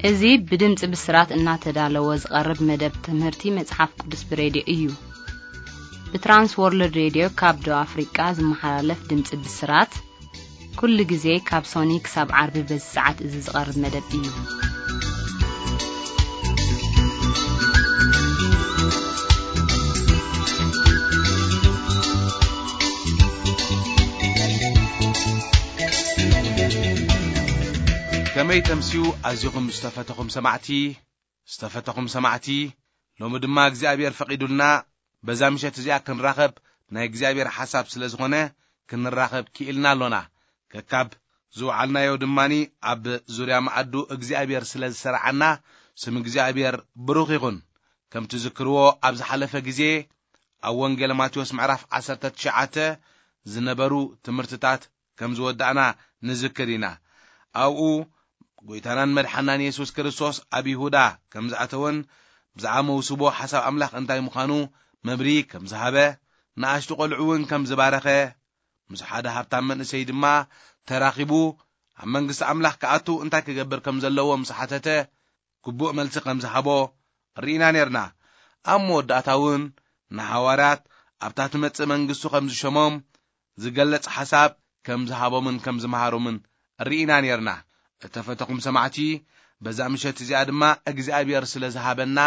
እዚ ብድምፂ ብስራት እናተዳለወ ዝቐርብ መደብ ትምህርቲ መጽሓፍ ቅዱስ ብሬድዮ እዩ። ብትራንስ ወርልድ ሬድዮ ካብ ደቡብ ኣፍሪቃ ዝመሓላለፍ ድምፂ ብስራት፣ ኩሉ ግዜ ካብ ሶኒ ክሳብ ዓርቢ በዚ ሰዓት እዚ ዝቐርብ መደብ እዩ። ከመይ ተምስዩ ኣዚኹም ዝተፈተኹም ሰማዕቲ፣ ዝተፈተኹም ሰማዕቲ፣ ሎሚ ድማ እግዚኣብሔር ፈቒዱልና በዛ ምሸት እዚኣ ክንራኸብ ናይ እግዚኣብሔር ሓሳብ ስለ ዝኾነ ክንራኸብ ክኢልና ኣሎና። ከካብ ዝወዓልናዮ ድማኒ ኣብ ዙርያ መኣዱ እግዚኣብሔር ስለ ዝሰራዓና ስም እግዚኣብሔር ብሩኽ ይኹን። ከም ትዝክርዎ ኣብ ዝሓለፈ ግዜ ኣብ ወንጌል ማቴዎስ ምዕራፍ ዓሰርተ ትሽዓተ ዝነበሩ ትምህርትታት ከም ዝወዳእና ንዝክር ኢና። ኣብኡ ጎይታናን መድሓናን የሱስ ክርስቶስ ኣብ ይሁዳ ከም ዝኣተወን ብዛዕባ መውስቦ ሓሳብ ኣምላኽ እንታይ ምዃኑ መብርሂ ከም ዝሃበ፣ ንኣሽቱ ቈልዑ እውን ከም ዝባረኸ፣ ምስ ሓደ ሃብታም መንእሰይ ድማ ተራኺቡ ኣብ መንግስቲ ኣምላኽ ክኣቱ እንታይ ክገብር ከም ዘለዎ ምስ ሓተተ፣ ግቡእ መልሲ ከም ዝሃቦ ርኢና ኔርና። ኣብ መወዳእታ እውን ንሃዋርያት ኣብታ ትመጽእ መንግስቱ ከም ዝሸሞም ዝገልጽ ሓሳብ ከም ዝሃቦምን ከም ዝመሃሮምን ርኢና ኔርና። እተፈተኹም ሰማዕቲ፣ በዛ ምሸት እዚኣ ድማ እግዚኣብሔር ስለ ዝሃበና፣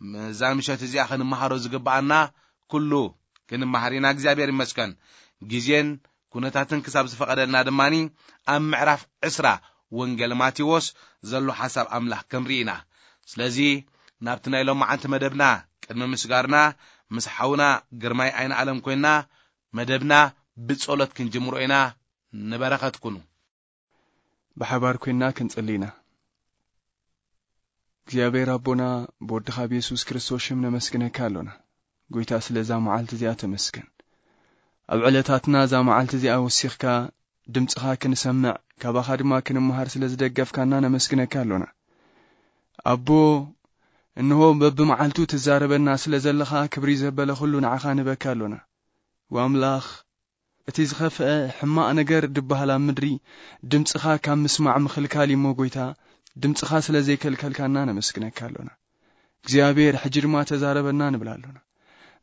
በዛ ምሸት እዚኣ ክንመሃሮ ዝግብኣና ኩሉ ክንመሃር ኢና። እግዚኣብሔር ይመስገን። ግዜን ኩነታትን ክሳብ ዝፈቐደልና ድማኒ ኣብ ምዕራፍ ዕስራ ወንጌል ማቴዎስ ዘሎ ሓሳብ ኣምላኽ ክንርኢ ኢና። ስለዚ ናብቲ ናይ ሎማዓንቲ መደብና ቅድሚ ምስጋርና ምስ ሓውና ግርማይ ኣይነ ኣለም ኮይና መደብና ብጸሎት ክንጅምሮ ኢና። ንበረኸት ኩኑ። ብሓባር ኮይና ክንጽሊ ኢና። እግዚኣብሔር ኣቦና፣ ብወድኻ ብየሱስ ክርስቶስ ሽም ነመስግነካ ኣሎና። ጎይታ፣ ስለ እዛ መዓልቲ እዚኣ ተመስገን። ኣብ ዕለታትና እዛ መዓልቲ እዚኣ ወሲኽካ ድምጽኻ ክንሰምዕ፣ ካባኻ ድማ ክንመሃር ስለ ዝደገፍካና ነመስግነካ ኣሎና። ኣቦ፣ እንሆ በብመዓልቱ ትዛረበና ስለ ዘለኻ ክብሪ ዘበለ ኩሉ ንዓኻ ንበካ ኣሎና። ወኣምላኽ፣ እቲ ዝኸፍአ ሕማቕ ነገር ድበሃል ኣብ ምድሪ ድምጽኻ ካብ ምስማዕ ምኽልካል እዩ'ሞ፣ ጎይታ፣ ድምጽኻ ስለ ዘይከልከልካና ነመስግነካ ኣሎና። እግዚኣብሔር፣ ሕጂ ድማ ተዛረበና ንብል ኣሎና።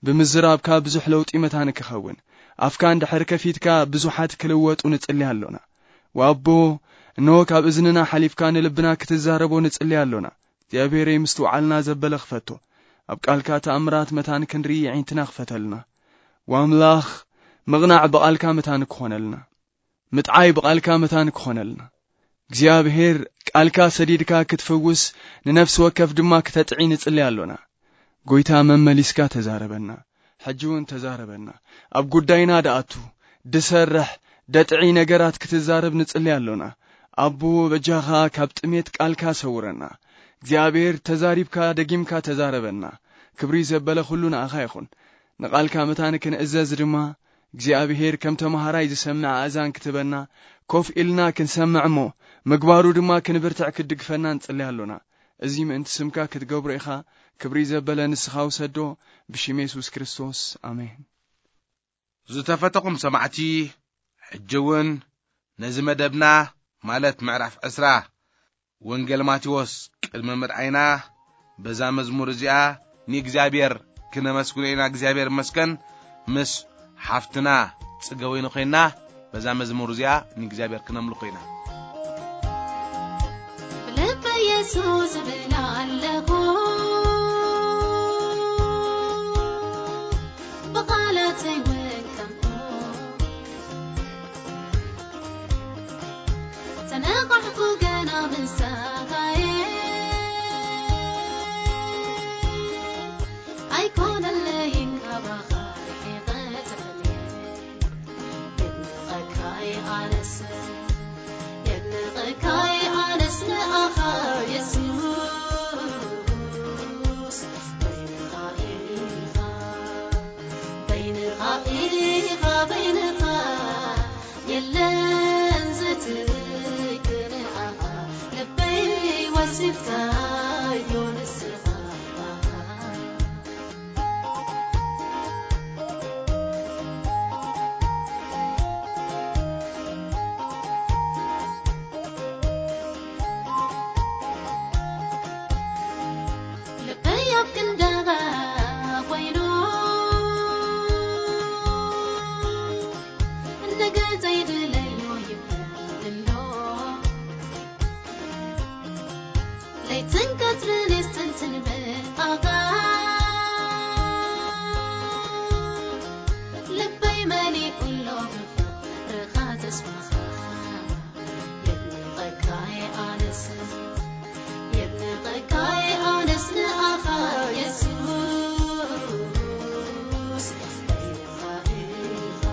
ብምዝራብካ ብዙሕ ለውጢ መታን ክኸውን፣ ኣፍካ እንድሕር ከፊትካ ብዙሓት ክልወጡ ንጽሊ ኣሎና። ወኣቦ፣ እንሆ ካብ እዝንና ሓሊፍካ ንልብና ክትዛረቦ ንጽሊ ኣሎና። እግዚኣብሔረይ፣ ምስትውዓልና ዘበለ ክፈቶ፣ ኣብ ቃልካ ተኣምራት መታን ክንርኢ የዒንትና ክፈተልና። ወኣምላኽ፣ ምቕናዕ ብቓልካ መታን ክኾነልና፣ ምጥዓይ ብቓልካ መታን ክኾነልና። እግዚኣብሔር፣ ቃልካ ሰዲድካ ክትፍውስ፣ ንነፍሲ ወከፍ ድማ ክተጥዒ ንጽሊ ኣሎና። ጎይታ፣ መመሊስካ ተዛረበና። ሕጂ እውን ተዛረበና። ኣብ ጉዳይና ደኣቱ፣ ድሰርሕ፣ ደጥዒ ነገራት ክትዛረብ ንጽሊ ኣሎና። ኣቦ፣ በጃኻ ካብ ጥሜት ቃልካ ሰውረና። እግዚኣብሔር፣ ተዛሪብካ ደጊምካ ተዛረበና። ክብሪ ዘበለ ኩሉ ንኣኻ ይኹን። ንቓልካ መታን ክንእዘዝ ድማ፣ እግዚኣብሔር ከም ተመሃራይ ዝሰምዕ ኣእዛን ክትበና፣ ኮፍ ኢልና ክንሰምዕ እሞ፣ ምግባሩ ድማ ክንብርትዕ ክትድግፈና ንጽሊ ኣሎና። እዚ ምእንቲ ስምካ ክትገብሮ ኢኻ። ክብሪ ዘበለ ንስኻ ውሰዶ፣ ብሽም የሱስ ክርስቶስ፣ ኣሜን። ዝተፈተኹም ሰማዕቲ፣ ሕጂ እውን ነዚ መደብና፣ ማለት ምዕራፍ ዕስራ ወንጌል ማቴዎስ ቅድሚ ምርኣይና፣ በዛ መዝሙር እዚኣ ንእግዚኣብሔር ክነመስግኖ ኢና። እግዚኣብሔር ይመስገን። ምስ ሓፍትና ጽገወይኒ ኮይና፣ በዛ መዝሙር እዚኣ ንእግዚኣብሔር ክነምልኾ ኢና። ብልበ የሱስ እብል ኣለኹ፣ ብቓላተይ እውን ከምኡ። ተነቓሕኩ ገና ምሳኻየ፣ ኣይኮነለይን ካባኻ ርሒቐ ተፈልየ። የድንቐካይ ኣነስ፣ የድንቐካይ ኣነስ ንኣኻ የሱስ። በይንኻ ኢኻ፣ በይንኻ ኢኻ፣ በይንኻ የለን ዘትክንኣኻ፣ ልበይ ወሲድካዮ ንስኻ። ዘይድለዮ ይብል እንዶ። ለይትን ቀትርን የስተንትን ብኣኻ። ልበይ መሊኡ ኣሎ ብፍቕርኻ ተስፋኻ። የድንቐካ እየ ኣነስ፣ የድንቐካ እየ ኣነስ ንኣኻ የሱስ። በይንኻ ኢኻ፣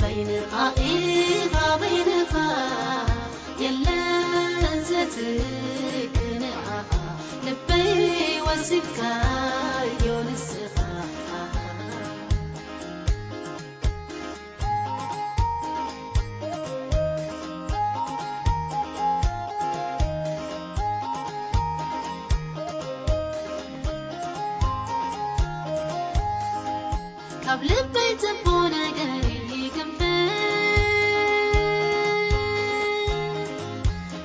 በይንኻ ኢኻ፣ በይንኻ የለን ዘትክንኣኻ። ልበይ ወሲድካዮ ንስኻ። ካብ ልበይ ጽቡቕ ነገር ይግንፍል፣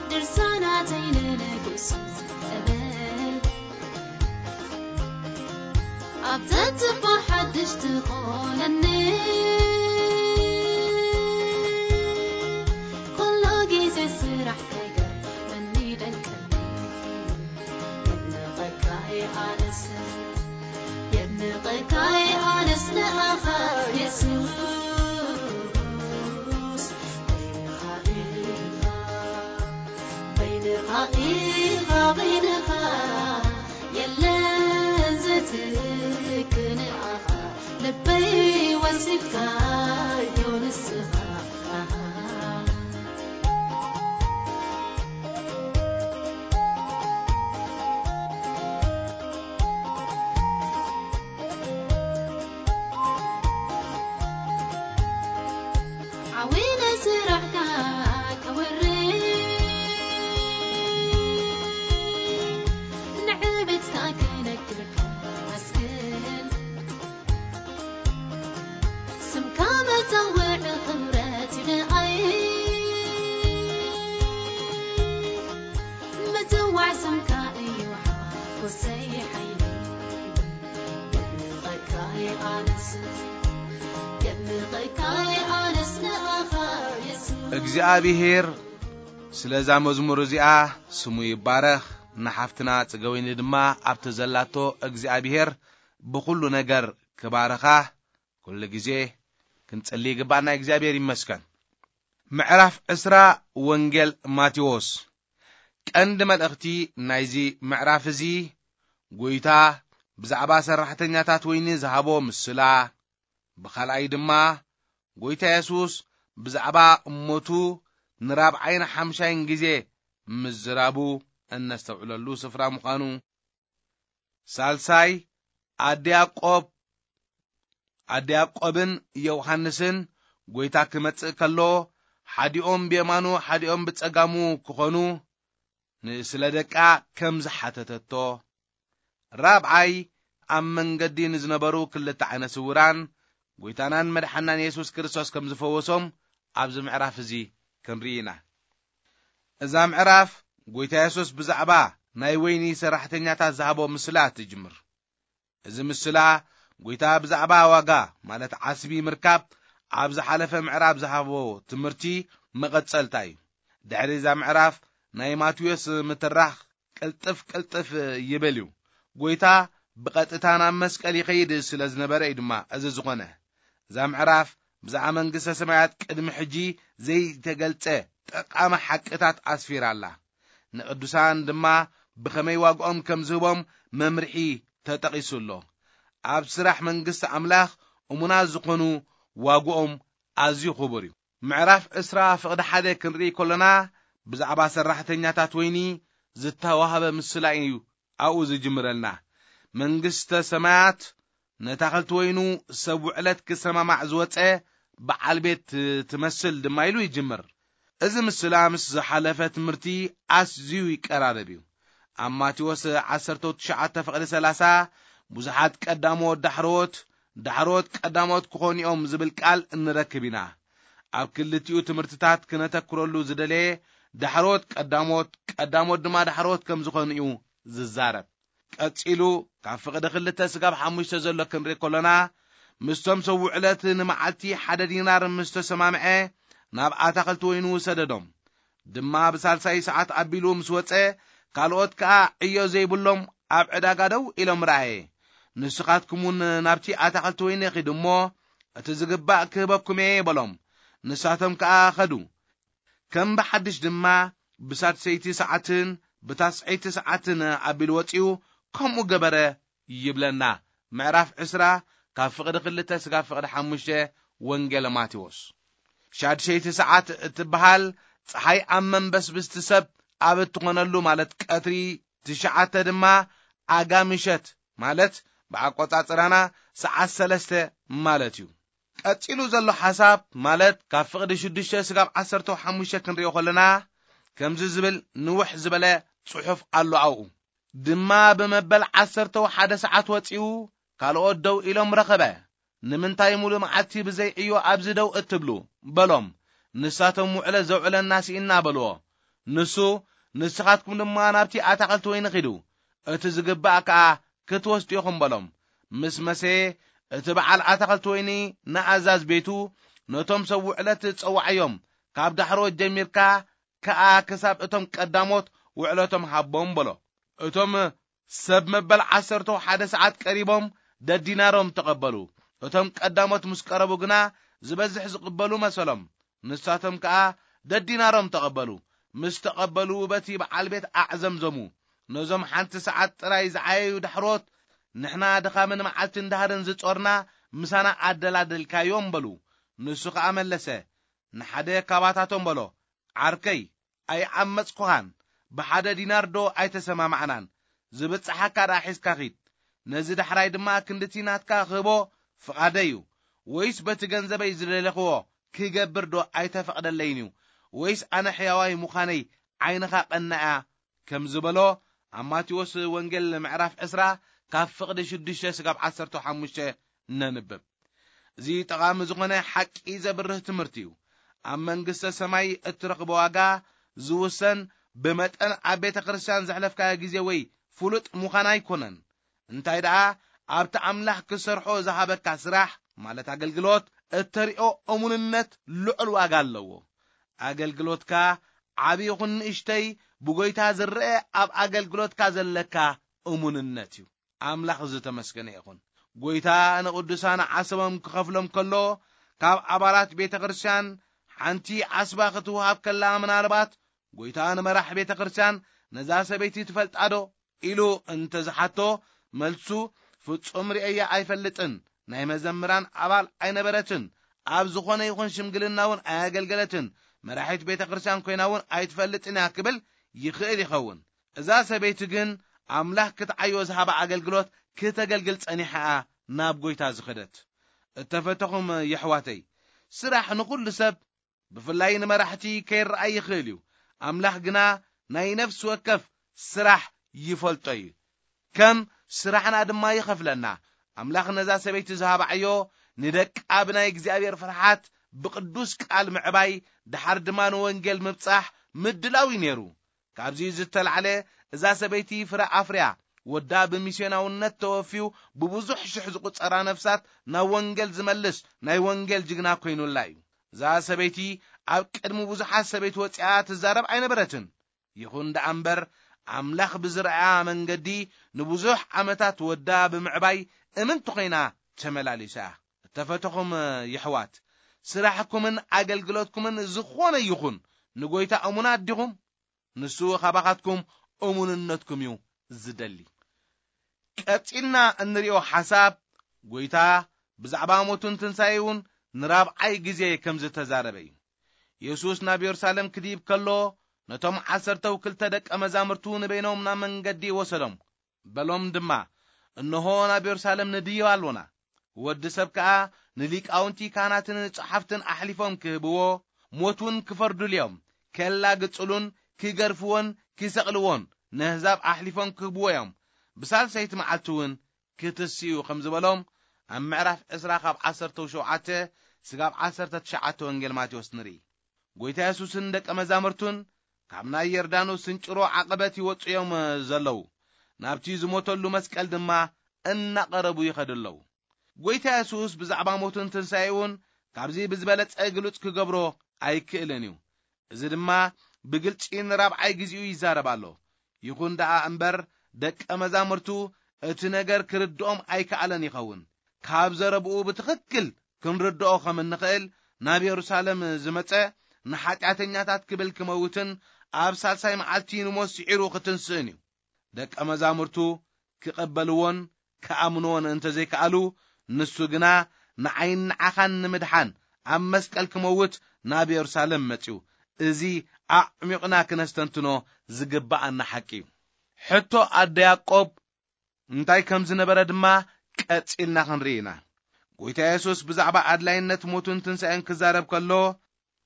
ድርሳናተይ ንንጉስ እብል። ኣብ ተጽባ ሓድሽ ትኾነኒ፣ ኩሉ ግዜ ስራሕ ከይገርመኒ ደንቀኒ። የድንቐካ እየ ኣነስ፣ የድንቐካ እየ ኣነስ ንኣኻ የሱስ። በይንኻ ኢኻ፣ በይንኻ ኢኻ፣ በይንኻ የለን ዘትክንኣኻ። ልበይ ወሲድካዮ ንስኻ። ዓዊነ ስራሕካ ከወሪ፣ ንዕቤትካ ክነግርካ መስግን። ስምካ መጸውዒ ክብረት እዩ ንኣይ፣ ምጽዋዕ ስምካ እዩ ሓጎሰይ ሓይለይ። የድንቐካ እየ ኣነስ፣ የድንቐካ እየ ኣነስ ንኣኻ የሱስ። እግዚኣብሄር ስለዛ መዝሙር እዚኣ ስሙ ይባረኽ። ንሓፍትና ጽገወይኒ ድማ ኣብቲ ዘላቶ እግዚኣብሄር ብኹሉ ነገር ክባርኻ ኩሉ ግዜ ክንጽሊ ይግባና። እግዚኣብሔር ይመስገን። ምዕራፍ ዕስራ ወንጌል ማቴዎስ። ቀንዲ መልእኽቲ ናይዚ ምዕራፍ እዚ፣ ጎይታ ብዛዕባ ሰራሕተኛታት ወይኒ ዝሃቦ ምስላ፣ ብኻልኣይ ድማ ጎይታ የሱስ ብዛዕባ እሞቱ ንራብዓይን ሓምሻይን ግዜ ምዝራቡ እነስተውዕለሉ ስፍራ ምዃኑ፣ ሳልሳይ ኣደ ያዕቆብ፣ ኣደ ያዕቆብን ዮሃንስን ጎይታ ክመጽእ ከሎ፣ ሓዲኦም ብየማኑ ሓዲኦም ብጸጋሙ ክኾኑ ን-፣ ስለ ደቃ ከም ዝሓተተቶ፣ ራብዓይ ኣብ መንገዲ ንዝነበሩ ክልተ ዓይነ ስውራን ጎይታናን መድሓናን የሱስ ክርስቶስ ከም ዝፈወሶም ኣብዚ ምዕራፍ እዚ ክንርኢ ኢና። እዛ ምዕራፍ ጎይታ የሱስ ብዛዕባ ናይ ወይኒ ሰራሕተኛታት ዝሃቦ ምስላ ትጅምር። እዚ ምስላ ጎይታ ብዛዕባ ዋጋ፣ ማለት ዓስቢ ምርካብ፣ ኣብ ዝሓለፈ ምዕራፍ ዝሃቦ ትምህርቲ መቐጸልታ እዩ። ድሕሪ እዛ ምዕራፍ ናይ ማቴዎስ ምትራኽ ቅልጥፍ ቅልጥፍ ይብል እዩ። ጎይታ ብቐጥታ ናብ መስቀል ይኸይድ ስለ ዝነበረ እዩ ድማ እዚ ዝኾነ። እዛ ምዕራፍ ብዛዕባ መንግስተ ሰማያት ቅድሚ ሕጂ ዘይተገልጸ ጠቓሚ ሓቅታት ኣስፊራ ኣላ። ንቅዱሳን ድማ ብኸመይ ዋግኦም ከም ዝህቦም መምርሒ ተጠቒሱ ኣሎ። ኣብ ስራሕ መንግስቲ ኣምላኽ እሙናት ዝኾኑ ዋግኦም ኣዝዩ ክቡር እዩ። ምዕራፍ ዕስራ ፍቕዲ ሓደ ክንርኢ ከሎና፣ ብዛዕባ ሰራሕተኛታት ወይኒ ዝተዋህበ ምስላ እዩ ኣብኡ ዝጅምረልና። መንግስተ ሰማያት ነታ ክልቲ ወይኑ ሰብ ውዕለት ክሰማማዕ ዝወጸ በዓል ቤት ትመስል ድማ ኢሉ ይጅምር። እዚ ምስላ ምስ ዝሓለፈ ትምህርቲ ኣዝዩ ይቀራረብ እዩ። ኣብ ማቴዎስ ዓሰርተ ትሽዓተ ፍቕዲ ሰላሳ፣ ብዙሓት ቀዳሞት ዳሕሮት፣ ዳሕሮት ቀዳሞት ክኾኑ እዮም ዝብል ቃል እንረክብ ኢና። ኣብ ክልቲኡ ትምህርትታት ክነተኩረሉ ዝደለየ፣ ዳሕሮት ቀዳሞት፣ ቀዳሞት ድማ ዳሕሮት ከም ዝኾኑ እዩ ዝዛረብ። ቀጺሉ ካብ ፍቕዲ ክልተ ስጋብ ሓሙሽተ ዘሎ ክንርኢ ከሎና፣ ምስቶም ሰብ ውዕለት ንመዓልቲ ሓደ ዲናር ምስ ተሰማምዐ፣ ናብ ኣታኽልቲ ወይኑ ሰደዶም። ድማ ብሳልሳይ ሰዓት ኣቢሉ ምስ ወጸ፣ ካልኦት ከኣ ዕዮ ዘይብሎም ኣብ ዕዳጋ ደው ኢሎም ረኣየ። ንስኻትኩም እውን ናብቲ ኣታኽልቲ ወይኒ ኺዱ እሞ፣ እቲ ዝግባእ ክህበኩም እየ በሎም። ንሳቶም ከኣ ኸዱ። ከም ብሓድሽ ድማ ብሳድሰይቲ ሰዓትን ብታስዐይቲ ሰዓትን ኣቢሉ ወጺኡ፣ ከምኡ ገበረ ይብለና። ምዕራፍ ዕስራ፣ ካብ ፍቕዲ ክልተ ስጋብ ፍቕዲ ሓሙሽተ፣ ወንጌል ማቴዎስ። ሻድሸይቲ ሰዓት እትበሃል፣ ጸሓይ ኣብ መንበስብስቲ ሰብ ኣብ እትኾነሉ፣ ማለት ቀትሪ ትሽዓተ ድማ ኣጋ ምሸት፣ ማለት ብኣቆጻጽራና ሰዓት ሰለስተ ማለት እዩ። ቀጺሉ ዘሎ ሓሳብ፣ ማለት ካብ ፍቕዲ ሽዱሽተ ስጋብ ዓሰርተ ሓሙሽተ ክንሪኦ ከለና፣ ከምዚ ዝብል ንውሕ ዝበለ ጽሑፍ ኣሎ ኣብኡ። ድማ ብመበል ዓሰርተ ሓደ ሰዓት ወጺኡ፣ ካልኦት ደው ኢሎም ረኸበ። "ንምንታይ ሙሉ መዓልቲ ብዘይ ዕዮ ኣብዚ ደው እትብሉ?" በሎም። ንሳቶም፣ "ውዕለት ዘውዕለና ስኢንና" በልዎ። ንሱ፣ "ንስኻትኩም ድማ ናብቲ ኣታኽልቲ ወይኒ ኺዱ፣ እቲ ዝግባእ ከኣ ክትወስዱ ኢኹም" በሎም። ምስ መሰየ፣ እቲ በዓል ኣታኽልቲ ወይኒ ንኣዛዝ ቤቱ፣ "ነቶም ሰብ ውዕለት ጸውዓዮም፣ ካብ ዳሕሮት ጀሚርካ ከኣ ክሳብ እቶም ቀዳሞት ውዕለቶም ሃቦም" በሎ። እቶም ሰብ መበል ዓሰርተ ሓደ ሰዓት ቀሪቦም ደዲናሮም ተቐበሉ። እቶም ቀዳሞት ምስ ቀረቡ ግና፣ ዝበዝሕ ዝቕበሉ መሰሎም። ንሳቶም ከኣ ደዲናሮም ተቐበሉ። ምስ ተቐበሉ፣ በቲ በዓል ቤት ኣዕዘምዘሙ። ነዞም ሓንቲ ሰዓት ጥራይ ዝዓየዩ ዳሕሮት፣ "ንሕና ድኻምን መዓልትን ዳህርን ዝጾርና፣ ምሳና ኣደላደልካዮም" በሉ። ንሱ ኸኣ መለሰ፣ ንሓደ ካባታቶም በሎ፣ "ዓርከይ፣ ኣይዓመጽኩኻን፣ ብሓደ ዲናር ዶ ኣይተሰማማዕናን? ዝብጽሓካ ደኣ ሒዝካ ኺድ። ነዚ ዳሕራይ ድማ ክንድቲ ናትካ ክህቦ ፍቓደይ እዩ። ወይስ በቲ ገንዘበይ ዝደለኽዎ ክገብር ዶ ኣይተፈቕደለይን እዩ? ወይስ ኣነ ሕያዋይ ምዃነይ ዓይንኻ ቀናእያ?" ከም ዝበሎ፣ ኣብ ማቴዎስ ወንጌል ምዕራፍ ዕስራ፣ ካብ ፍቕዲ ሽዱሽተ ስጋብ ዓሰርተ ሓሙሽተ ነንብብ። እዚ ጠቓሚ ዝኾነ ሓቂ ዘብርህ ትምህርቲ እዩ። ኣብ መንግስተ ሰማይ እትረኽቦ ዋጋ ዝውሰን ብመጠን ኣብ ቤተ ክርስቲያን ዘሕለፍካዮ ግዜ ወይ ፍሉጥ ምዃን ኣይኮነን። እንታይ ደኣ፣ ኣብቲ ኣምላኽ ክሰርሖ ዝሃበካ ስራሕ፣ ማለት ኣገልግሎት፣ እተሪኦ እሙንነት ልዑል ዋጋ ኣለዎ። ኣገልግሎትካ ዓቢ ይኹን ንእሽተይ፣ ብጎይታ ዝረአ ኣብ ኣገልግሎትካ ዘለካ እሙንነት እዩ። ኣምላኽ ዝተመስገነ ይኹን። ጎይታ ንቕዱሳን ዓሰቦም ክኸፍሎም ከሎ፣ ካብ ኣባላት ቤተ ክርስቲያን ሓንቲ ዓስባ ክትወሃብ ከላ፣ ምናልባት ጎይታ ንመራሕ ቤተ ክርስቲያን፣ "ነዛ ሰበይቲ ትፈልጣ ዶ?" ኢሉ እንተ ዝሓቶ፣ መልሱ፣ "ፍጹም ርእየያ ኣይፈልጥን። ናይ መዘምራን ኣባል ኣይነበረትን። ኣብ ዝኾነ ይኹን ሽምግልና እውን ኣየገልገለትን። መራሒት ቤተ ክርስቲያን ኮይና እውን ኣይትፈልጥን እያ" ክብል ይኽእል ይኸውን። እዛ ሰበይቲ ግን ኣምላኽ ክትዓዮ ዝሃባ ኣገልግሎት ክተገልግል ጸኒሓ እያ ናብ ጎይታ ዝኸደት። እተፈተኹም የሕዋተይ፣ ስራሕ ንኹሉ ሰብ፣ ብፍላይ ንመራሕቲ፣ ከይረኣይ ይኽእል እዩ። ኣምላኽ ግና ናይ ነፍሲ ወከፍ ስራሕ ይፈልጦ እዩ። ከም ስራሕና ድማ ይኸፍለና። ኣምላኽ ነዛ ሰበይቲ ዝሃባ ዕዮ፣ ንደቃ ብናይ እግዚኣብሔር ፍርሓት፣ ብቅዱስ ቃል ምዕባይ፣ ደሓር ድማ ንወንጌል ምብጻሕ ምድላው እዩ ነይሩ። ካብዚ ዝተላዕለ፣ እዛ ሰበይቲ ፍረ ኣፍርያ፣ ወዳ ብሚስዮናውነት ተወፍዩ፣ ብብዙሕ ሽሕ ዝቁጸራ ነፍሳት ናብ ወንጌል ዝመልስ ናይ ወንጌል ጅግና ኮይኑላ እዩ። እዛ ሰበይቲ ኣብ ቅድሚ ብዙሓት ሰበይቲ ወጺኣ ትዛረብ ኣይነበረትን። ይኹን ደኣ እምበር፣ ኣምላኽ ብዝረኣያ መንገዲ ንብዙሕ ዓመታት ወዳ ብምዕባይ እምንቲ ኮይና ተመላሊሳ እያ። እተፈተኹም የሕዋት፣ ስራሕኩምን ኣገልግሎትኩምን ዝኾነ ይኹን፣ ንጎይታ እሙናት ዲኹም? ንሱ ኻባኻትኩም እሙንነትኩም እዩ ዝደሊ። ቀጺልና እንሪኦ ሓሳብ፣ ጎይታ ብዛዕባ ሞቱን ትንሳኤውን ንራብዓይ ግዜ ከም ዝተዛረበ እዩ። የሱስ ናብ የሩሳሌም ክድይብ ከሎ፣ ነቶም ዓሰርተው ክልተ ደቀ መዛሙርቱ ንበይኖም ናብ መንገዲ ወሰዶም። በሎም ድማ፣ "እንሆ፣ ናብ የሩሳሌም ንድይብ ኣሎና። ወዲ ሰብ ከኣ ንሊቃውንቲ ካህናትን ጸሓፍትን ኣሕሊፎም ክህብዎ፣ ሞት እውን ክፈርዱሉ እዮም። ከላግጹሉን ክገርፍዎን ክሰቕልዎን ነህዛብ ኣሕሊፎም ክህብዎ እዮም። ብሳልሰይቲ መዓልቲ እውን ክትስኡ" ከም ዝበሎም፣ ኣብ ምዕራፍ ዕስራ ካብ ዓሰርተ ሸውዓተ ስጋብ ዓሰርተ ትሽዓተ ወንጌል ማቴዎስ ንርኢ። ጎይታ የሱስን ደቀ መዛሙርቱን ካብ ናይ ዮርዳኖስ ስንጭሮ ዓቐበት ይወጹ እዮም ዘለዉ። ናብቲ ዝሞተሉ መስቀል ድማ እናቐረቡ ይኸዱ ኣለዉ። ጎይታ የሱስ ብዛዕባ ሞቱን ትንሳኤኡን ካብዚ ብዝበለጸ ግሉጽ ክገብሮ ኣይክእልን እዩ። እዚ ድማ ብግልጺ ንራብዓይ ግዜኡ ይዛረብ ኣሎ። ይኹን ደኣ እምበር፣ ደቀ መዛሙርቱ እቲ ነገር ክርድኦም ኣይከኣለን ይኸውን። ካብ ዘረብኡ ብትኽክል ክንርድኦ ከም እንኽእል፣ ናብ የሩሳሌም ዝመጸ ንሓጢኣተኛታት ክብል ክመውትን ኣብ ሳልሳይ መዓልቲ ንሞት ስዒሩ ክትንስእን እዩ። ደቀ መዛሙርቱ ክቐበልዎን ክኣምንዎን እንተዘይከኣሉ፣ ንሱ ግና ንዓይን ንዓኻን ንምድሓን ኣብ መስቀል ክመውት ናብ የሩሳሌም መጺኡ። እዚ ኣዕሚቕና ክነስተንትኖ ዝግብኣና ሓቂ እዩ። ሕቶ ኣደ ያዕቆብ እንታይ ከም ዝነበረ ድማ ቀጺልና ክንርኢ ኢና። ጎይታ የሱስ ብዛዕባ ኣድላይነት ሞቱን ትንሳኤን ክዛረብ ከሎ፣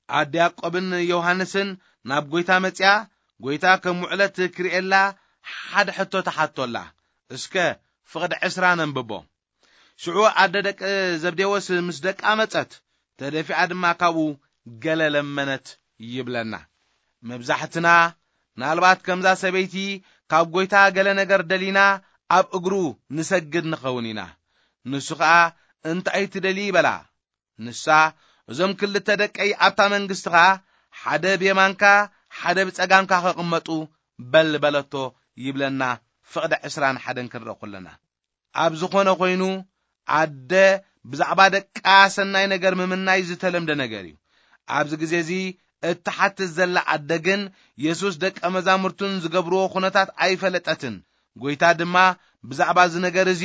ኣደ ያዕቆብን ዮሃንስን ናብ ጎይታ መጺኣ፣ ጎይታ ከም ውዕለት ክርእየላ ሓደ ሕቶ ተሓቶላ። እስከ ፍቕዲ ዕስራ ነንብቦ። ሽዑ ኣደ ደቂ ዘብዴዎስ ምስ ደቃ መጸት፣ ተደፊኣ ድማ ካብኡ ገለ ለመነት ይብለና። መብዛሕትና ምናልባት ከምዛ ሰበይቲ ካብ ጎይታ ገለ ነገር ደሊና ኣብ እግሩ ንሰግድ ንኸውን ኢና። ንሱ ኸኣ እንታይ ትደሊ በላ። ንሳ፣ እዞም ክልተ ደቀይ ኣብታ መንግስትኻ ሓደ ብየማንካ ሓደ ብጸጋምካ ክቕመጡ በል በለቶ ይብለና። ፍቕዲ ዕስራን ሓደን ክንርኢ ከለና፣ ኣብ ዝኾነ ኮይኑ ኣደ ብዛዕባ ደቃ ሰናይ ነገር ምምናይ ዝተለምደ ነገር እዩ። ኣብዚ ግዜ እዚ እትሓትት ዘላ ኣደ ግን የሱስ ደቀ መዛሙርቱን ዝገብርዎ ኩነታት ኣይፈለጠትን። ጎይታ ድማ ብዛዕባ እዚ ነገር እዚ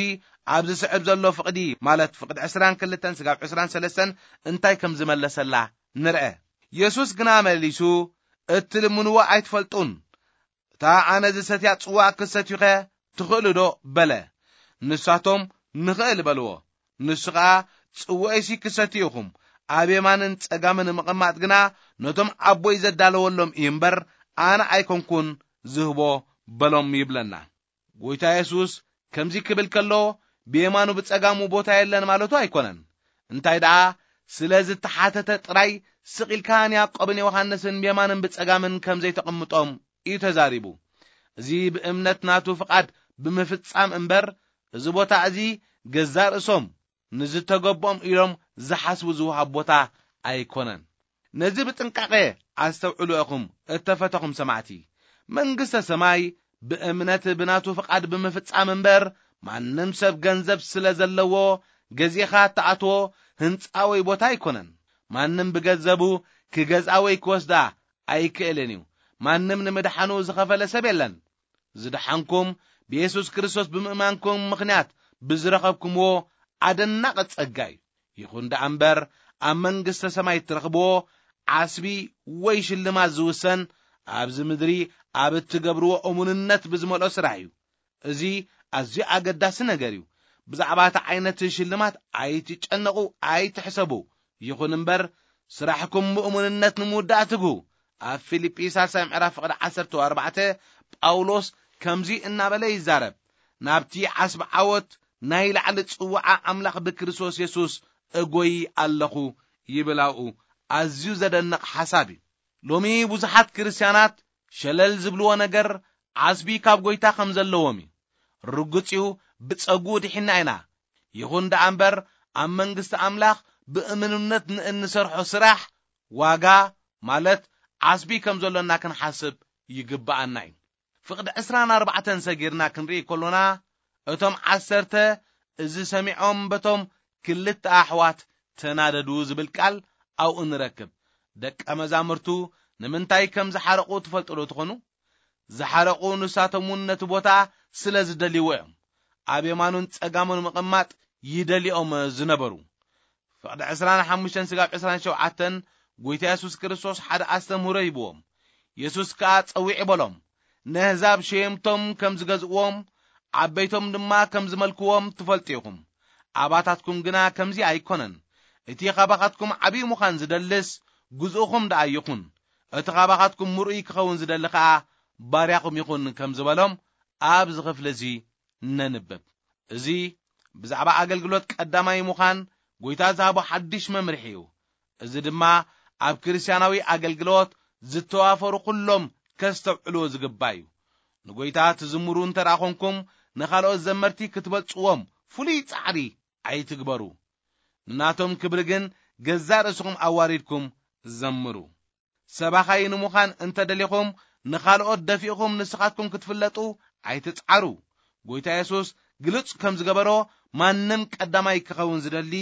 ኣብ ዝስዕብ ዘሎ ፍቕዲ፣ ማለት ፍቕዲ ዕስራን ክልተን ስጋብ ዕስራን ሰለስተን እንታይ ከም ዝመለሰላ ንርአ። የሱስ ግና መሊሱ፣ "እትልምንዎ ኣይትፈልጡን። እታ ኣነ ዝሰትያ ጽዋእ ክትሰትዩኸ ትኽእሉ ዶ?" በለ። ንሳቶም፣ "ንኽእል" በልዎ። ንሱ ኸኣ፣ "ጽዋኤሲ ክትሰትዩ ኢኹም፣ ኣብ የማንን ጸጋምን ምቕማጥ ግና ነቶም ኣቦይ ዘዳለወሎም እዩ እምበር፣ ኣነ ኣይኮንኩን ዝህቦ" በሎም ይብለና። ጎይታ የሱስ ከምዚ ክብል ከሎ፣ ብየማኑ ብጸጋሙ ቦታ የለን ማለቱ ኣይኮነን። እንታይ ደኣ፣ ስለ ዝተሓተተ ጥራይ ስቕ ኢልካ ንያዕቆብን ዮሃንስን ብየማንን ብጸጋምን ከም ዘይተቐምጦም እዩ ተዛሪቡ። እዚ ብእምነት ናቱ ፍቓድ ብምፍጻም እምበር፣ እዚ ቦታ እዚ ገዛእ ርእሶም ንዝተገብኦም ኢሎም ዝሓስቡ ዝወሃብ ቦታ ኣይኮነን። ነዚ ብጥንቃቐ ኣስተውዕሉ ኢኹም እተፈተኹም ሰማዕቲ። መንግስተ ሰማይ ብእምነት ብናቱ ፍቓድ ብምፍጻም እምበር፣ ማንም ሰብ ገንዘብ ስለ ዘለዎ ገዚእኻ እተኣትዎ ህንጻ ወይ ቦታ ኣይኮነን። ማንም ብገንዘቡ ክገዝኣ ወይ ክወስዳ ኣይክእልን እዩ። ማንም ንምድሓኑ ዝኸፈለ ሰብ የለን። ዝደሓንኩም ብየሱስ ክርስቶስ ብምእማንኩም ምኽንያት ብዝረኸብኩምዎ ኣደናቒ ጸጋ እዩ። ይኹን ደኣ እምበር፣ ኣብ መንግስተ ሰማይ እትረኽብዎ ዓስቢ ወይ ሽልማት ዝውሰን ኣብዚ ምድሪ ኣብ እትገብርዎ እሙንነት ብዝመልኦ ስራሕ እዩ። እዚ ኣዝዩ ኣገዳሲ ነገር እዩ። ብዛዕባ እቲ ዓይነት ሽልማት ኣይትጨነቑ፣ ኣይትሕሰቡ። ይኹን እምበር፣ ስራሕኩም ብእሙንነት ንምውዳእ ትግሁ። ኣብ ፊልጲ ሳልሳይ ምዕራፍ ፍቕዲ ዓሰርተ ኣርባዕተ ጳውሎስ ከምዚ እናበለ ይዛረብ፣ "ናብቲ ዓስቢ ዓወት ናይ ላዕሊ ጽዋዓ ኣምላኽ ብክርስቶስ የሱስ እጎይ ኣለኹ" ይብል። ኣብኡ ኣዝዩ ዘደንቕ ሓሳብ እዩ። ሎሚ ብዙሓት ክርስትያናት ሸለል ዝብልዎ ነገር ዓስቢ ካብ ጎይታ ከም ዘለዎም እዩ። ርጉጽ እዩ፣ ብጸጉኡ ድሒና ኢና። ይኹን ደኣ እምበር፣ ኣብ መንግስቲ ኣምላኽ ብእምንነት ንእንሰርሖ ስራሕ ዋጋ፣ ማለት ዓስቢ ከም ዘሎና ክንሓስብ ይግብኣና እዩ። ፍቕዲ ዕስራን ኣርባዕተን ሰጊርና ክንርኢ ከሎና፣ እቶም ዓሰርተ እዚ ሰሚዖም በቶም ክልተ ኣሕዋት ተናደዱ ዝብል ቃል ኣብኡ ንረክብ። ደቀ መዛሙርቱ ንምንታይ ከም ዝሓረቑ ትፈልጡ ዶ ትኾኑ? ዝሓረቑ ንሳቶም እውን ነቲ ቦታ ስለ ዝደልይዎ እዮም። ኣብ የማኑን ጸጋሙን ምቕማጥ ይደልዮም ዝነበሩ። ፍቕዲ ዕስራን ሓሙሽተን ስጋብ ዕስራን ሸውዓተን ጎይታ የሱስ ክርስቶስ ሓደ ኣስተምህሮ ሂብዎም። የሱስ ከኣ ጸዊዕ በሎም፣ "ነህዛብ ሸየምቶም ከም ዝገዝእዎም፣ ዓበይቶም ድማ ከም ዝመልክዎም ትፈልጡ ኢኹም። ኣባታትኩም ግና ከምዚ ኣይኮነን። እቲ ካባኻትኩም ዓብዪ ምዃን ዝደልስ ግዝኡኹም ደኣ ይኹን። እቲ ካባኻትኩም ምርኡይ ክኸውን ዝደሊ ከኣ ባርያኹም ይኹን" ከም ዝበሎም ኣብዚ ክፍሊ እዚ ነንብብ። እዚ ብዛዕባ ኣገልግሎት ቀዳማይ ምዃን ጎይታ ዝሃቦ ሓድሽ መምርሒ እዩ። እዚ ድማ ኣብ ክርስትያናዊ ኣገልግሎት ዝተዋፈሩ ኩሎም ከስተውዕልዎ ዝግባእ እዩ። ንጎይታ ትዝምሩ እንተ ደኣ ኾንኩም፣ ንኻልኦት ዘመርቲ ክትበልጽዎም ፍሉይ ጻዕሪ ኣይትግበሩ። ንናቶም ክብሪ ግን ገዛእ ርእስኹም ኣዋሪድኩም ዘምሩ። ሰባኻይ ንምዃን እንተ ደሊኹም፣ ንኻልኦት ደፊእኹም ንስኻትኩም ክትፍለጡ ኣይትጽዓሩ። ጎይታ የሱስ ግልጽ ከም ዝገበሮ፣ ማንም ቀዳማይ ክኸውን ዝደሊ፣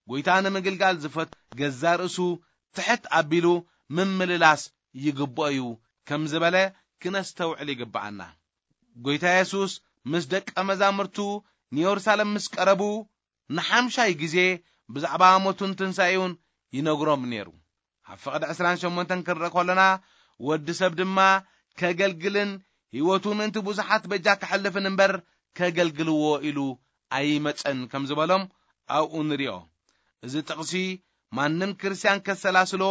ጎይታ ንምግልጋል ዝፈት ገዛእ ርእሱ ትሕት ኣቢሉ ምምልላስ ይግብኦ እዩ ከም ዝበለ ክነስተውዕል ይግብኣና። ጎይታ የሱስ ምስ ደቀ መዛሙርቱ ንየሩሳሌም ምስ ቀረቡ፣ ንሓምሻይ ግዜ ብዛዕባ ሞቱን ትንሳኤኡን ይነግሮም ነይሩ። ኣብ ፍቕዲ ዕስራን ሸሞንተን ክንርኢ ከሎና፣ ወዲ ሰብ ድማ ከገልግልን ህይወቱ ምእንቲ ብዙሓት በጃ ከሕልፍን እምበር፣ ከገልግልዎ ኢሉ ኣይመጸን ከም ዝበሎም ኣብኡ ንሪኦ። እዚ ጥቕሲ ማንም ክርስትያን ከሰላስሎ፣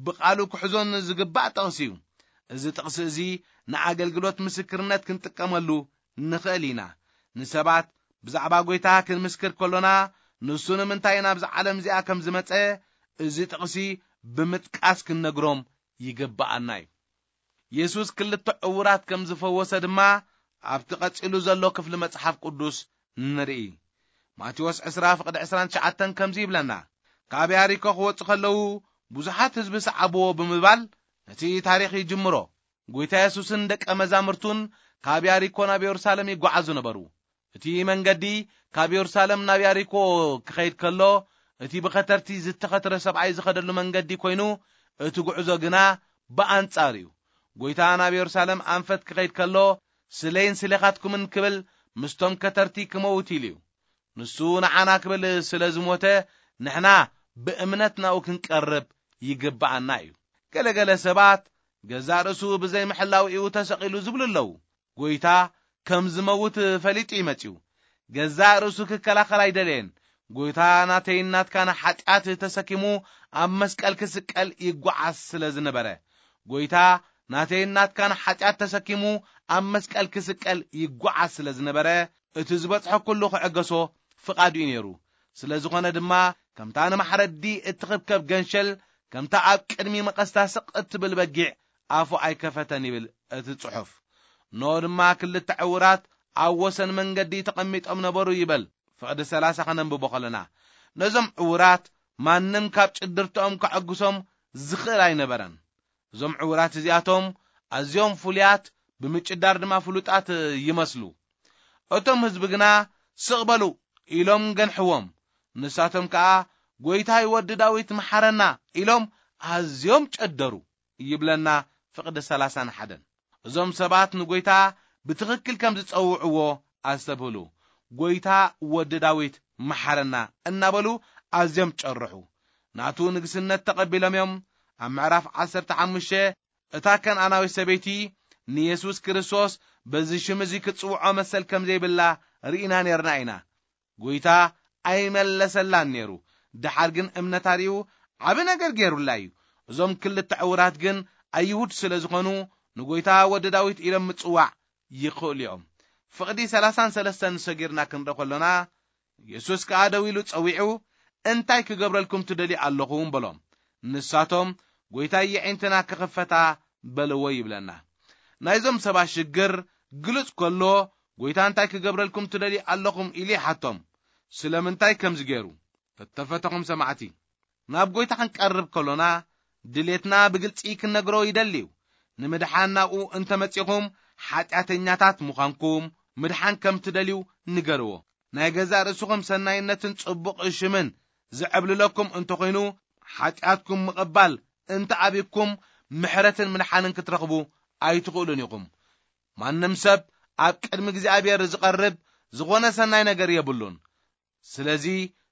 ብቓሉ ክሕዞን ዝግባእ ጥቕሲ እዩ። እዚ ጥቕሲ እዚ ንኣገልግሎት ምስክርነት ክንጥቀመሉ ንኽእል ኢና። ንሰባት ብዛዕባ ጎይታ ክንምስክር ከሎና፣ ንሱ ንምንታይ ናብዛ ዓለም እዚኣ ከም ዝመጸ፣ እዚ ጥቕሲ ብምጥቃስ ክንነግሮም ይግብኣና እዩ። የሱስ ክልተ ዕዉራት ከም ዝፈወሰ ድማ ኣብቲ ቀጺሉ ዘሎ ክፍሊ መጽሓፍ ቅዱስ ንርኢ። ማቴዎስ ዕስራ ፍቕዲ ዕስራን ትሽዓተን ከምዚ ይብለና፣ "ካብ ያሪኮ ክወጹ ከለዉ ብዙሓት ህዝቢ ሰዓብዎ" ብምባል ነቲ ታሪኽ ይጅምሮ። ጎይታ የሱስን ደቀ መዛሙርቱን ካብ ያሪኮ ናብ የሩሳሌም ይጓዓዙ ነበሩ። እቲ መንገዲ ካብ የሩሳሌም ናብ ያሪኮ ክኸይድ ከሎ፣ እቲ ብኸተርቲ ዝተኸትረ ሰብኣይ ዝኸደሉ መንገዲ ኮይኑ፣ እቲ ጉዕዞ ግና ብኣንጻር እዩ። ጎይታ ናብ የሩሳሌም ኣንፈት ክኸይድ ከሎ፣ "ስለይን ስሌኻትኩምን" ክብል ምስቶም ከተርቲ ክመውት ኢሉ እዩ። ንሱ ንዓና ክብል ስለ ዝሞተ፣ ንሕና ብእምነት ናብኡ ክንቀርብ ይግብኣና እዩ። ገለገለ ሰባት ገዛእ ርእሱ ብዘይ ምሕላው እዩ ተሰቒሉ ዝብሉ ኣለዉ። ጎይታ ከም ዝመውት ፈሊጡ እዩ መጺኡ። ገዛእ ርእሱ ክከላኸል ኣይደለየን። ጎይታ ናተይን ናትካን ሓጢኣት ተሰኪሙ ኣብ መስቀል ክስቀል ይጓዓዝ ስለ ዝነበረ፣ ጎይታ ናተይን ናትካን ሓጢኣት ተሰኪሙ ኣብ መስቀል ክስቀል ይጓዓዝ ስለ ዝነበረ፣ እቲ ዝበጽሖ ኩሉ ክዕገሶ ፍቓዱ እዩ ነይሩ። ስለ ዝኾነ ድማ፣ ከምታ ንማሕረዲ እትኽብከብ ገንሸል፣ ከምታ ኣብ ቅድሚ መቐስታ ስቕ እትብል በጊዕ ኣፉ ኣይከፈተን ይብል እቲ ጽሑፍ። ኖ ድማ ክልተ ዕዉራት ኣብ ወሰን መንገዲ ተቐሚጦም ነበሩ ይበል። ፍቕዲ ሰላሳ ከነንብቦ ከለና፣ ነዞም ዕዉራት ማንም ካብ ጭድርትኦም ከዐግሶም ዝኽእል ኣይነበረን። እዞም ዕዉራት እዚኣቶም ኣዝዮም ፍሉያት፣ ብምጭዳር ድማ ፍሉጣት ይመስሉ። እቶም ህዝቢ ግና "ስቕ በሉ" ኢሎም ገንሕዎም። ንሳቶም ከኣ "ጎይታይ፣ ወዲ ዳዊት፣ መሓረና" ኢሎም ኣዝዮም ጨደሩ ይብለና ፍቕዲ ሰላሳን ሓደን። እዞም ሰባት ንጎይታ ብትኽክል ከም ዝጸውዕዎ ኣስተብህሉ። "ጎይታ፣ ወዲ ዳዊት፣ መሓረና" እናበሉ ኣዝዮም ጨርሑ። ናቱ ንግስነት ተቐቢሎም እዮም። ኣብ ምዕራፍ ዓሰርተ ሓሙሽተ፣ እታ ከነኣናዊት ሰበይቲ ንየሱስ ክርስቶስ በዚ ሽም እዚ ክትጽውዖ መሰል ከም ዘይብላ ርኢና ኔርና ኢና። ጎይታ ኣይመለሰላን ኔሩ። ደሓር ግን እምነታ ርእዩ ዓቢ ነገር ጌሩላ እዩ። እዞም ክልተ ዕዉራት ግን ኣይሁድ ስለ ዝኾኑ፣ ንጎይታ ወዲ ዳዊት ኢሎም ምጽዋዕ ይኽእሉ እዮም። ፍቕዲ ሰላሳን ሰለስተን ሰጊርና ክንርኢ ከሎና፣ የሱስ ከኣ ደው ኢሉ ጸዊዑ፣ "እንታይ ክገብረልኩም ትደልዩ ኣለኹም?" በሎም። ንሳቶም፣ "ጎይታይ፣ የዒንትና ክኽፈታ በልዎ" ይብለና። ናይዞም ሰባት ሽግር ግሉጽ ከሎ፣ "ጎይታ፣ እንታይ ክገብረልኩም ትደልዩ ኣለኹም?" ኢሉ ይሓቶም። ስለምንታይ ከምዚ ገይሩ? እተፈተኹም ሰማዕቲ፣ ናብ ጎይታ ክንቀርብ ከሎና፣ ድሌትና ብግልጺ ክንነግሮ ይደሊ እዩ። ንምድሓን ናብኡ እንተመጺኹም፣ ሓጢኣተኛታት ምዃንኩም፣ ምድሓን ከም ትደልዩ ንገርዎ። ናይ ገዛእ ርእስኹም ሰናይነትን ጽቡቕ ሽምን ዝዕብልለኩም እንተኾይኑ፣ ሓጢኣትኩም ምቕባል እንተኣቢኩም፣ ምሕረትን ምድሓንን ክትረኽቡ ኣይትኽእሉን ኢኹም። ማንም ሰብ ኣብ ቅድሚ እግዚኣብሔር ዝቐርብ ዝኾነ ሰናይ ነገር የብሉን። ስለዚ፣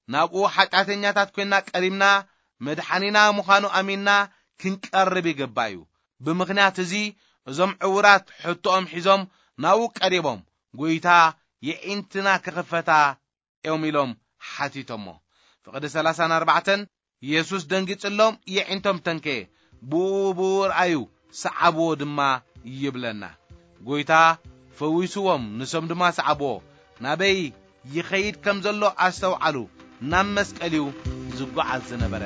ናብኡ ሓጢኣተኛታት ኮይንና ቀሪብና፣ መድሓኒና ምዃኑ ኣሚንና ክንቀርብ ይግባእ እዩ። ብምኽንያት እዚ፣ እዞም ዕዉራት ሕቶኦም ሒዞም ናብኡ ቀሪቦም፣ "ጎይታ፣ የዒንትና ክኽፈታ" እዮም ኢሎም ሓቲቶሞ። ፍቕዲ ሰላሳን ኣርባዕተን፣ የሱስ ደንጊጽሎም፣ የዒንቶም ተንከየ። ብኡ ብኡ ርኣዩ፣ ሰዓብዎ ድማ ይብለና። ጎይታ ፈዊስዎም፣ ንሶም ድማ ሰዓብዎ። ናበይ ይኸይድ ከም ዘሎ ኣስተውዓሉ። ናብ መስቀል እዩ ዝጓዓዝ ዝነበረ።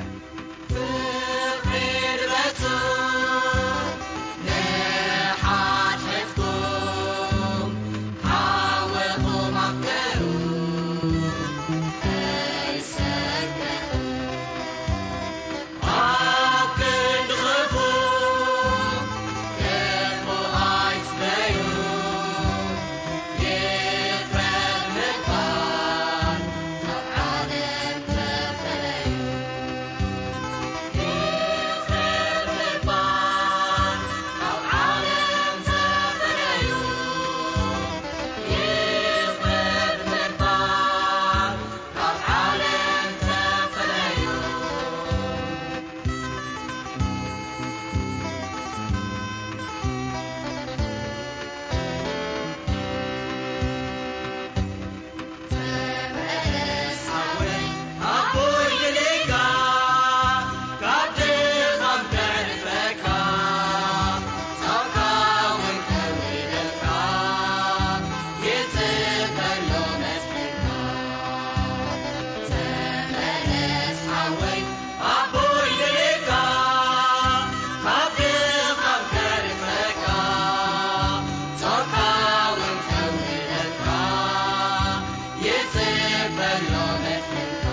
ካብ ድኻም ከድሕነካ፣ ጾርካ እውን ከውህደካ፣ ይጽበሎ መድሕንካ።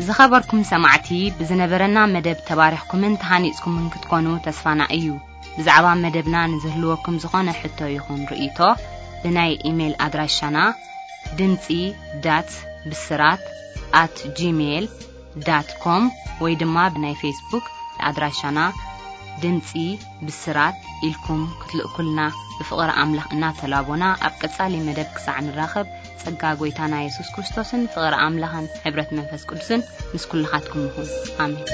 ዝኸበርኩም ሰማዕቲ፣ ብዝነበረና መደብ ተባሪኽኩምን ተሃኒጽኩምን ክትኮኑ ተስፋና እዩ። ብዛዕባ መደብና ንዝህልወኩም ዝኾነ ሕቶ ይኹን ርእይቶ፣ ብናይ ኢሜይል ኣድራሻና ድምጺ ዳት ብስራት ኣት ጂሜይል ዳት ኮም ወይ ድማ ብናይ ፌስቡክ ኣድራሻና ድምጺ ብስራት ኢልኩም ክትልእኩልና ብፍቕሪ ኣምላኽ እናተላቦና፣ ኣብ ቀጻሊ መደብ ክሳዕ ንራኸብ፣ ጸጋ ጐይታና የሱስ ክርስቶስን ፍቕሪ ኣምላኽን ሕብረት መንፈስ ቅዱስን ምስ ኩልኻትኩም ይኹን። ኣሜን።